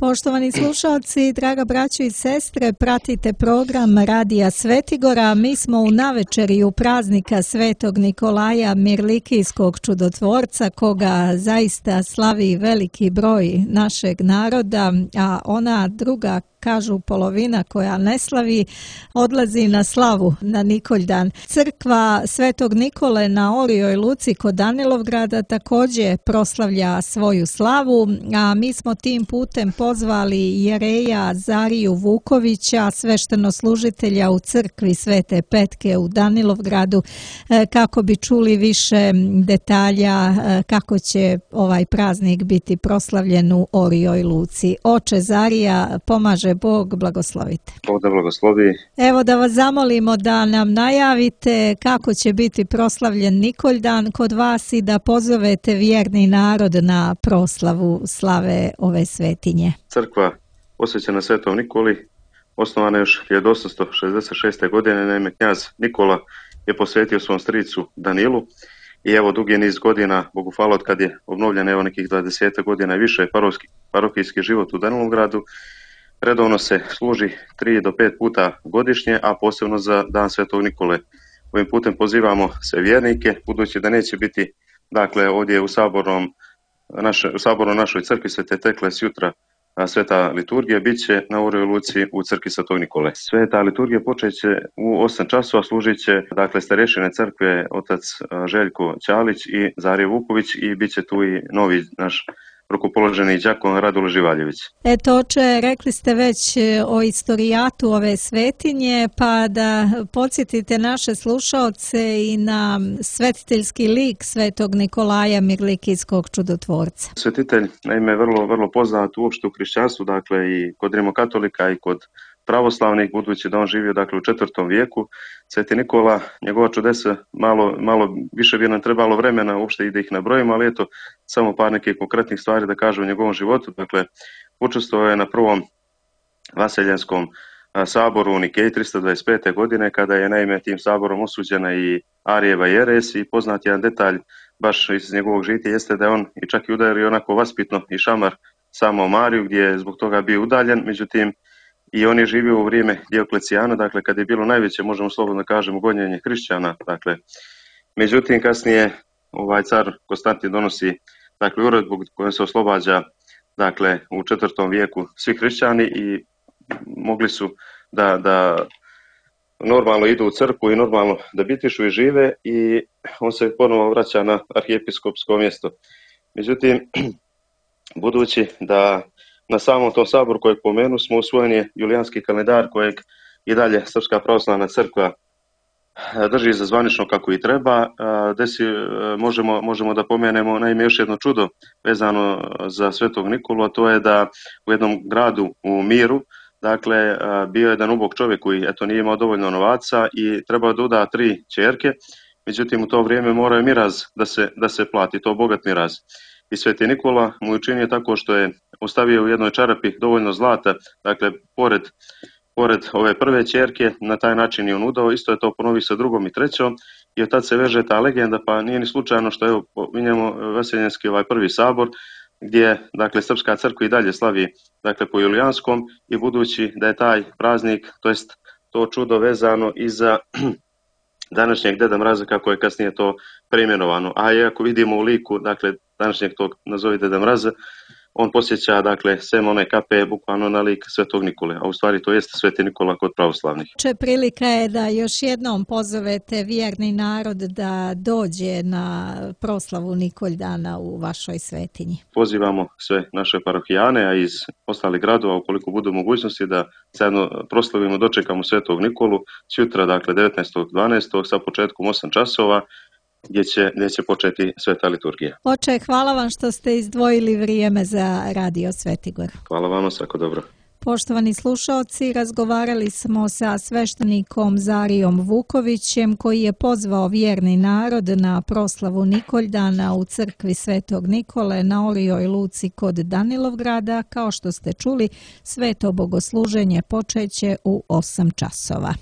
Poštovani slušalci, draga braćo i sestre, pratite program Radija Svetigora. Mi smo u navečerju praznika Svetog Nikolaja Mirlikijskog čudotvorca, koga zaista slavi veliki broj našeg naroda, a ona druga, kažu polovina koja ne slavi, odlazi na slavu na Nikoljdan. Crkva Svetog Nikole na Orijoj Luci kod Danilovgrada također proslavlja svoju slavu, a mi smo tim putem pozvali jereja Zariju Vukovića, sveštenoslužitelja u crkvi Svete Petke u Danilovgradu, kako bi čuli više detalja kako će ovaj praznik biti proslavljen u Orijoj Luci. Oče Zarija, pomaže Bog, blagoslovite. Bog da blagoslovi. Evo da vas zamolimo da nam najavite kako će biti proslavljen Nikoljdan kod vas i da pozovete vjerni narod na proslavu slave ove svetinje. Crkva posvećena Svetom Nikoli osnovana još 1866. godine, naime knjaz Nikola je posvetio svom stricu Danilu i evo dugi niz godina, Bogu hvala, od kad je obnovljen evo nekih 20 godina i više parohijski život u Danilovgradu, redovno se služi 3 do 5 puta godišnje, a posebno za dan Svetog Nikole. Ovim putem pozivamo sve vjernike, budući da neće biti ovdje u saboru našoj crkvi Svete Tekle sjutra sveta liturgija, bit će na Orijoj Luci u crkvi Svetog Nikole. Sveta liturgija počet će u 8 časova, služit će starešine crkve otac Željko Ćalić i Zarije Vuković i bit će tu i novi naš rukopoloženi đakon Radule Živaljević. Eto, oče, rekli ste već o istorijatu ove svetinje, pa da podsjetite naše slušaoce i na svetiteljski lik Svetog Nikolaja Mirlikijskog čudotvorca. Svetitelj, naime, vrlo poznat uopšte u hrišćanstvu, i kod rimokatolika i kod pravoslavnih, budući da on živio u 4. vijeku. Sveti Nikola, njegova čudesa, malo više bi nam trebalo vremena uopšte i da ih nabrojimo, ali eto, samo par nekih konkretnih stvari da kažem o njegovom životu. Učestvovao je na prvom vaseljanskom saboru u Nikeji 325. godine, kada je naime tim saborom osuđena i Arijeva jeres, i poznat jedan detalj baš iz njegovog žitija jeste da je on i čak i udario onako vaspitno i šamar samo Mariju, gdje je zbog toga bio udaljen. Međutim, i on je živio u vrijeme Dioklecijana, kad je bilo najveće, možemo slobodno kažemo, gonjenje hrišćana. Međutim, kasnije car Konstantin donosi uredbu kojom se oslobađa u 4. vijeku svi hrišćani i mogli su da normalno idu u crkvu i normalno da bitišu i žive, i on se ponovo vraća na arhijepiskopsko mjesto. Međutim, budući da na samom tom saboru kojeg pomenu smo usvojen je julijanski kalendar kojeg i dalje Srpska pravoslavna crkva drži za zvanično kako i treba. Možemo da pomenemo naime još jedno čudo vezano za Svetog Nikolu, a to je da u jednom gradu u Miru bio je jedan ubog čovjek koji nije imao dovoljno novaca i trebao da uda 3 ćerke, međutim u to vrijeme morao je miraz da se plati, to bogat miraz. I Sveti Nikola mu učinio tako što je ostavio u jednoj čarapi dovoljno zlata, pored ove prve ćerke, na taj način je on udao, isto je to ponovi sa drugom i trećom, i od tad se veže ta legenda, pa nije ni slučajno što pominjemo vaseljenski prvi sabor, gdje Srpska crkva i dalje slavi po julijanskom, i budući da je taj praznik, to jest to čudo vezano i za današnjeg Deda Mraza, kako je kasnije to preimenovano. A ako vidimo u liku današnjeg tog nazovi Deda Mraza, on posjeća sem one kape bukvalno na lik Svetog Nikole, a u stvari to jeste Sveti Nikola kod pravoslavnih. Prilika je da još jednom pozovete vjerni narod da dođe na proslavu Nikoldana u vašoj svetinji. Pozivamo sve naše parohijane, a iz ostalih gradova, ukoliko budu mogućnosti, da zajedno proslavimo, dočekamo Svetog Nikolu sutra, 19.12. sa početkom 8 časova, gdje će početi sveta liturgija. Oče, hvala vam što ste izdvojili vrijeme za Radio Svetigor. Hvala vama, svako dobro. Poštovani slušaoci, razgovarali smo sa sveštenikom Zarijom Vukovićem, koji je pozvao vjerni narod na proslavu Nikoldana u crkvi Svetog Nikole na Orijoj Luci kod Danilovgrada. Kao što ste čuli, sveto bogosluženje počeće u 8 časova.